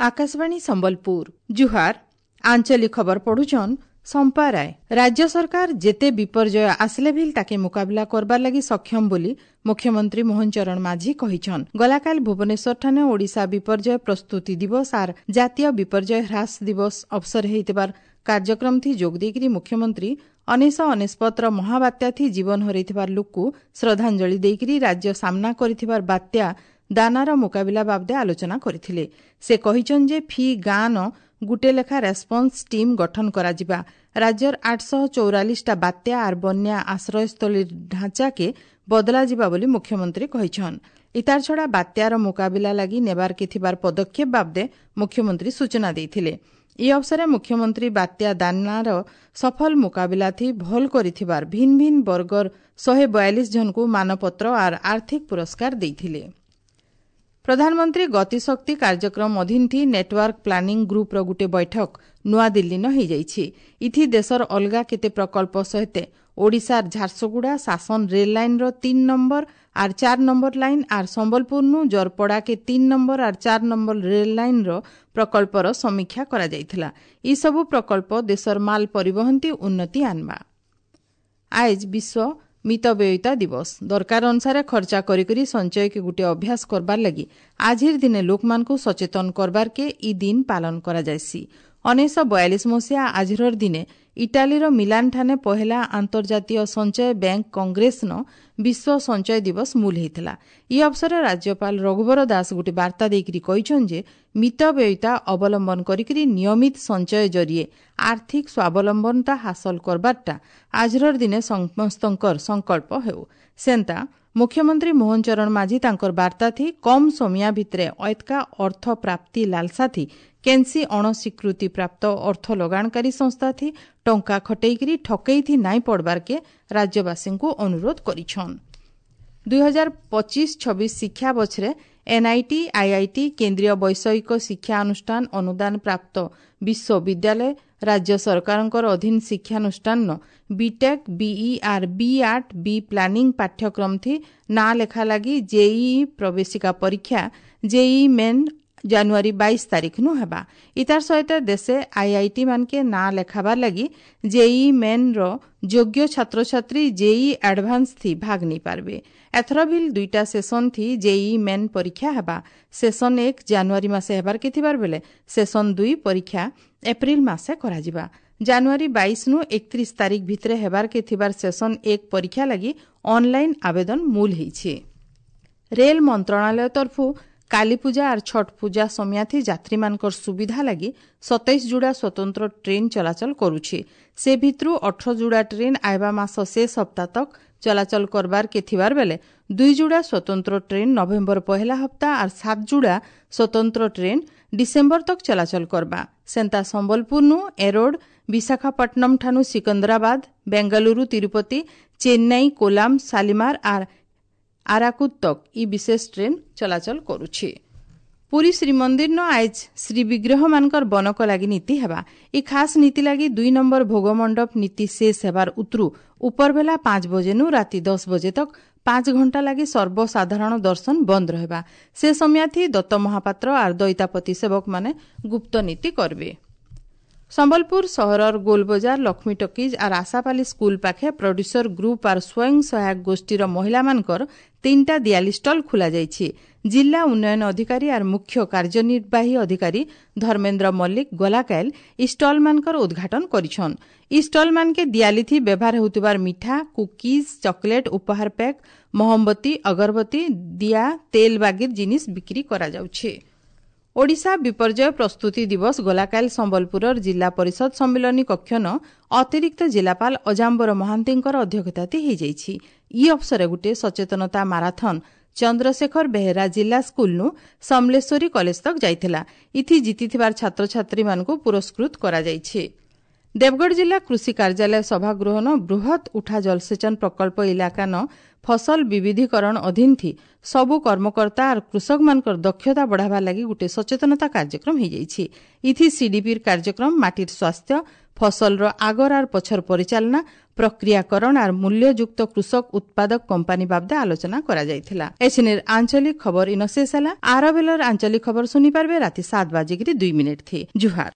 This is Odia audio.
ଆକାଶବାଣୀ ସମ୍ବଲପୁର। ଜୁହାର। ଆଞ୍ଚଳିକ ଖବର ପଢୁଛନ୍ ସମ୍ପା ରାୟ। ରାଜ୍ୟ ସରକାର ଯେତେ ବିପର୍ଯ୍ୟୟ ଆସିଲେ ଭିଲ୍ ତାକେ ମୁକାବିଲା କରବାର ଲାଗି ସକ୍ଷମ ବୋଲି ମୁଖ୍ୟମନ୍ତ୍ରୀ ମୋହନ ଚରଣ ମାଝୀ କହିଛନ୍। ଗଲାକାଲି ଭୁବନେଶ୍ୱରଠାନେ ଓଡ଼ିଶା ବିପର୍ଯ୍ୟୟ ପ୍ରସ୍ତୁତି ଦିବସ ଆର୍ ଜାତୀୟ ବିପର୍ଯ୍ୟୟ ହ୍ରାସ ଦିବସ ଅବସର ହେଇଥିବାର କାର୍ଯ୍ୟକ୍ରମଥି ଯୋଗ ଦେଇକରି ମୁଖ୍ୟମନ୍ତ୍ରୀ 1999ର ମହାବାତ୍ୟାଥି ଜୀବନ ହରେଇଥିବାର ଲୋକକୁ ଶ୍ରଦ୍ଧାଞ୍ଜଳି ଦେଇକରି ରାଜ୍ୟ ସାମ୍ନା କରିଥିବାର ବାତ୍ୟା ଦାନାର ମୁକାବିଲା ବାବଦେ ଆଲୋଚନା କରିଥିଲେ। ସେ କହିଛନ୍ ଯେ ଫି ଗାଁନ ଗୁଟେ ଲେଖା ରେସ୍ପନ୍ସ ଟିମ୍ ଗଠନ କରାଯିବା। ରାଜ୍ୟର 844ଟା ବାତ୍ୟା ଆର୍ ବନ୍ୟା ଆଶ୍ରୟସ୍ଥଳୀ ଢାଞ୍ଚାକେ ବଦଳାଯିବା ବୋଲି ମୁଖ୍ୟମନ୍ତ୍ରୀ କହିଛନ୍। ଇତାର ଛଡ଼ା ବାତ୍ୟାର ମୁକାବିଲା ଲାଗି ନେବାରକେ ଥିବାର ପଦକ୍ଷେପ ବାବଦେ ମୁଖ୍ୟମନ୍ତ୍ରୀ ସୂଚନା ଦେଇଥିଲେ। ଇ ଅବସରେ ମୁଖ୍ୟମନ୍ତ୍ରୀ ବାତ୍ୟା ଦାନାର ସଫଳ ମୁକାବିଲାଥି ଭଲ୍ କରିଥିବାର ଭିନ୍ ଭିନ୍ ବର୍ଗର 142 ଜଣଙ୍କୁ ମାନପତ୍ର ଆର୍ ଆର୍ଥିକ ପୁରସ୍କାର ଦେଇଥିଲେ। ପ୍ରଧାନମନ୍ତ୍ରୀ ଗତିଶକ୍ତି କାର୍ଯ୍ୟକ୍ରମ ଅଧୀନଥି ନେଟୱାର୍କ ପ୍ଲାନିଂ ଗ୍ରୁପ୍ର ଗୋଟିଏ ବୈଠକ ନୂଆଦିଲ୍ଲୀନ ହୋଇଯାଇଛି। ଇଥି ଦେଶର ଅଲଗା କେତେ ପ୍ରକଳ୍ପ ସହିତ ଓଡ଼ିଶାର ଝାରସୁଗୁଡ଼ା ଶାସନ ରେଲ୍ ଲାଇନ୍ର 3 ନମ୍ବର ଆର୍ 4 ନମ୍ବର ଲାଇନ୍ ଆର୍ ସମ୍ବଲପୁରନୁ ଜରପଡ଼ାକେ 3 ନମ୍ବର ଆର୍ 4 ନମ୍ବର ରେଲ୍ ଲାଇନ୍ର ପ୍ରକଳ୍ପର ସମୀକ୍ଷା କରାଯାଇଥିଲା। ଏସବୁ ପ୍ରକଳ୍ପ ଦେଶର ମାଲ ପରିବହନତି ଉନ୍ନତି ଆନ୍ବା। ଆଏଜ୍ ବିଶ୍ୱ ମିତବ୍ୟୟିତା ଦିବସ। ଦରକାର ଅନୁସାରେ ଖର୍ଚ୍ଚା କରିକରି ସଞ୍ଚୟକେ ଗୋଟିଏ ଅଭ୍ୟାସ କରବାର ଲାଗି ଆଜିର ଦିନେ ଲୋକମାନଙ୍କୁ ସଚେତନ କରବାରକେ ଇ ଦିନ ପାଳନ କରାଯାଏସି। 1942 ମସିହା ଆଜିର ଦିନେ ଇଟାଲୀର ମିଲାନଠାନେ ପହେଲା ଆନ୍ତର୍ଜାତୀୟ ସଞ୍ଚୟ ବ୍ୟାଙ୍କ କଂଗ୍ରେସନ ବିଶ୍ୱ ସଞ୍ଚୟ ଦିବସ ମୂଲ ହେଇଥିଲା। ଇ ଅବସରରେ ରାଜ୍ୟପାଳ ରଘୁବର ଦାସ ଗୋଟିଏ ବାର୍ତ୍ତା ଦେଇକରି କହିଛନ୍ ଯେ ମିତବ୍ୟୟିତା ଅବଲମ୍ବନ କରିକରି ନିୟମିତ ସଞ୍ଚୟ ଜରିଏ ଆର୍ଥିକ ସ୍ୱାବଲମ୍ବନତା ହାସଲ କରବାରଟା ଆଜିର ଦିନେ ସମସ୍ତଙ୍କର ସଂକଳ୍ପ ହେଉ। ସେନ୍ତା ମୁଖ୍ୟମନ୍ତ୍ରୀ ମୋହନ ଚରଣ ମାଝୀ ତାଙ୍କର ବାର୍ତ୍ତାଥି କମ୍ ସମିଆ ଭିତରେ ଅଏତକା ଅର୍ଥ ପ୍ରାପ୍ତି ଲାଲସାଥି କେନ୍ସି ଅଣସ୍ୱୀକୃତି ପ୍ରାପ୍ତ ଅର୍ଥ ଲଗାଣକାରୀ ସଂସ୍ଥାଥି ଟଙ୍କା ଖଟେଇକରି ଠକେଇଥି ନାଇଁ ପଡ଼ବାରକେ ରାଜ୍ୟବାସୀଙ୍କୁ ଅନୁରୋଧ କରିଛନ୍। 2025-26 ଶିକ୍ଷା ବଛରେ ଏନ୍ଆଇଟି, ଆଇଆଇଟି, କେନ୍ଦ୍ରୀୟ ବୈଷୟିକ ଶିକ୍ଷା ଅନୁଷ୍ଠାନ ଅନୁଦାନ ପ୍ରାପ୍ତ ବିଶ୍ୱବିଦ୍ୟାଳୟ, ରାଜ୍ୟ ସରକାରଙ୍କର ଅଧୀନ ଶିକ୍ଷାନୁଷ୍ଠାନ BTech, BE or B Arch, B planning ପାଠ୍ୟକ୍ରମଥି ନାଁ ଲେଖା ଲାଗି ଜେଇଇ ପ୍ରବେଶିକା ପରୀକ୍ଷା ଜେଇଇ ମେନ୍ ଜାନୁଆରୀ 22 ତାରିଖନୁ ହେବା। ଇତାର ସହିତ ଦେଶେ ଆଇଆଇଟି ମାନକେ ନାଁ ଲେଖାବାର ଲାଗି ଜେଇଇ ମେନ୍ର ଯୋଗ୍ୟ ଛାତ୍ରଛାତ୍ରୀ ଜେଇଇ ଆଡଭାନ୍ସ ଥି ଭାଗ ନେଇପାରବେ। ଏଥର ଭିଲ୍ ଦୁଇଟା ସେସନ୍ ଥି ଜେଇଇ ମେନ୍ ପରୀକ୍ଷା ହେବା। ସେସନ୍ 1 ଜାନୁଆରୀ ମାସେ ହେବାରକେ ଥିବାର ବେଲେ ସେସନ୍ 2 ପରୀକ୍ଷା ଏପ୍ରିଲ ମାସେ କରାଯିବା। ଜାନୁଆରୀ 22 ନୁ 31 ତାରିଖ ଭିତରେ ହେବାରକେ ଥିବାର ସେସନ୍ 1 ପରୀକ୍ଷା ଲାଗି ଅନଲାଇନ୍ ଆବେଦନ ମୂଲ ହେଇଛି। ରେଲ ମନ୍ତ୍ରଣାଳୟ ତରଫୁ କାଳୀପୂଜା ଆର୍ ଛଟ୍ ପୂଜା ସମିଆଥି ଯାତ୍ରୀମାନଙ୍କର ସୁବିଧା ଲାଗି 27 ଯୋଡ଼ା ସ୍ୱତନ୍ତ୍ର ଟ୍ରେନ୍ ଚଳାଚଳ କରୁଛି। ସେ ଭିତରୁ 18 ଯୋଡ଼ା ଟ୍ରେନ୍ ଆଇବା ମାସ ଶେଷ ସପ୍ତାହ ତକ୍ ଚଳାଚଳ କରବାରକେ ଥିବାର ବେଲେ 2 ଯୋଡ଼ା ସ୍ୱତନ୍ତ୍ର ଟ୍ରେନ୍ ନଭେମ୍ବର ପହେଲା ହପ୍ତା ଆର୍ 7 ଯୋଡ଼ା ସ୍ୱତନ୍ତ୍ର ଟ୍ରେନ୍ ଡିସେମ୍ବର ତକ୍ ଚଳାଚଳ କରବା। ସେନ୍ତା ସମ୍ବଲପୁରନୁ ଏରୋଡ, ବିଶାଖାପଟ୍ଟନମ ଠାନୁ ସିକନ୍ଦରାବାଦ, ବେଙ୍ଗାଲୁରୁ, ତିରୁପତି, ଚେନ୍ନାଇ, କୋଲାମ, ଶାଲିମାର ଆର୍ ଆରାକୁଦ ତକ୍ ଇ ବିଶେଷ ଟ୍ରେନ୍ ଚଳାଚଳ କରୁଛି। ପୁରୀ ଶ୍ରୀମନ୍ଦିରନ ଆଏଜ୍ ଶ୍ରୀବିଗ୍ରହମାନଙ୍କର ବନକ ଲାଗି ନୀତି ହେବା। ଇ ଖାସ୍ ନୀତି ଲାଗି 2 ନମ୍ବର ଭୋଗମଣ୍ଡପ ନୀତି ଶେଷ ହେବାର ଉତରୁ ଉପରବେଲା 5 ବଜେନୁ ରାତି 10 ବଜେ ତକ୍ 5 ଘଣ୍ଟା ଲାଗି ସର୍ବସାଧାରଣ ଦର୍ଶନ ବନ୍ଦ ରହିବା। ସେ ସମୟାଥି ଦତ୍ତ ମହାପାତ୍ର ଆର୍ ଦଇତାପତି ସେବକମାନେ ଗୁପ୍ତ ନୀତି କରବେ। ସମ୍ବଲପୁର ସହରର ଗୋଲବଜାର, ଲକ୍ଷ୍ମୀ ଟକିଜ୍ ଆର୍ ଆଶାପାଲି ସ୍କୁଲ ପାଖେ ପ୍ରଡ୍ୟୁସର ଗ୍ରୁପ୍ ଆର୍ ସ୍ୱୟଂ ସହାୟକ ଗୋଷ୍ଠୀର ମହିଳାମାନଙ୍କର 3ଟା ଦିଆଲି ଷ୍ଟଲ୍ ଖୋଲାଯାଇଛି। ଜିଲ୍ଲା ଉନ୍ନୟନ ଅଧିକାରୀ ଆର୍ ମୁଖ୍ୟ କାର୍ଯ୍ୟନିର୍ବାହୀ ଅଧିକାରୀ ଧର୍ମେନ୍ଦ୍ର ମଲ୍ଲିକ ଗଲାକାଇଲ ଇ ଷ୍ଟଲ୍ମାନଙ୍କର ଉଦ୍ଘାଟନ କରିଛନ୍। ଇ ଷ୍ଟଲ୍ମାନକେ ଦିଆଲିଥି ବ୍ୟବହାର ହେଉଥିବାର ମିଠା, କୁକିଜ୍, ଚକୋଲେଟ୍, ଉପହାର ପ୍ୟାକ୍, ମହମବତୀ, ଅଗରବତୀ, ଦିଆ, ତେଲ ବାଗିର ଜିନିଷ ବିକ୍ରି କରାଯାଉଛି। ଓଡ଼ିଶା ବିପର୍ଯ୍ୟୟ ପ୍ରସ୍ତୁତି ଦିବସ ଗଲାକାଲି ସମ୍ବଲପୁରର ଜିଲ୍ଲା ପରିଷଦ ସମ୍ମିଳନୀ କକ୍ଷନ ଅତିରିକ୍ତ ଜିଲ୍ଲାପାଳ ଅଜାମ୍ବର ମହାନ୍ତିଙ୍କର ଅଧ୍ୟକ୍ଷତାତି ହୋଇଯାଇଛି। ଇ ଅବସରେ ଗୋଟିଏ ସଚେତନତା ମାରାଥନ ଚନ୍ଦ୍ରଶେଖର ବେହେରା ଜିଲ୍ଲା ସ୍କୁଲନୁ ସମଲେଶ୍ୱରୀ କଲେଜ ତକ୍ ଯାଇଥିଲା। ଇଥି ଜିତିଥିବାର ଛାତ୍ରଛାତ୍ରୀମାନଙ୍କୁ ପୁରସ୍କୃତ କରାଯାଇଛି। ଦେବଗଡ଼ ଜିଲ୍ଲା କୃଷି କାର୍ଯ୍ୟାଳୟ ସଭାଗୃହନ ବୃହତ୍ ଉଠା ଜଳସେଚନ ପ୍ରକଳ୍ପ ଇଲାକାନ ଫସଲ ବିବିଧୀକରଣ ଅଧୀନଥି ସବୁ କର୍ମକର୍ତ୍ତା ଆର୍ କୃଷକମାନଙ୍କର ଦକ୍ଷତା ବଢ଼ାବାର ଲାଗି ଗୋଟିଏ ସଚେତନତା କାର୍ଯ୍ୟକ୍ରମ ହୋଇଯାଇଛି। ଇଥି ସିଡିପିର କାର୍ଯ୍ୟକ୍ରମ ମାଟିର ସ୍ୱାସ୍ଥ୍ୟ ଫସଲର আগর আর পছর পরিচালনা, প্রক্রিয়াকরণ আর মূল্যযুক্ত কৃষক উৎপাদক কোম্পানি বাবদে আলোচনা করা যাইଥିଲା। এছিনের আঞ্চলিক খবর ইন শেষ ହେଲା। ଆର ବେଲର ଆଞ୍ଚଳିକ ଖବର ଶୁଣିପାରିବେ ରାତି 7 ବାଜିକିରି 2 ମିନିଟ୍ ଥି। ଜୁହାର।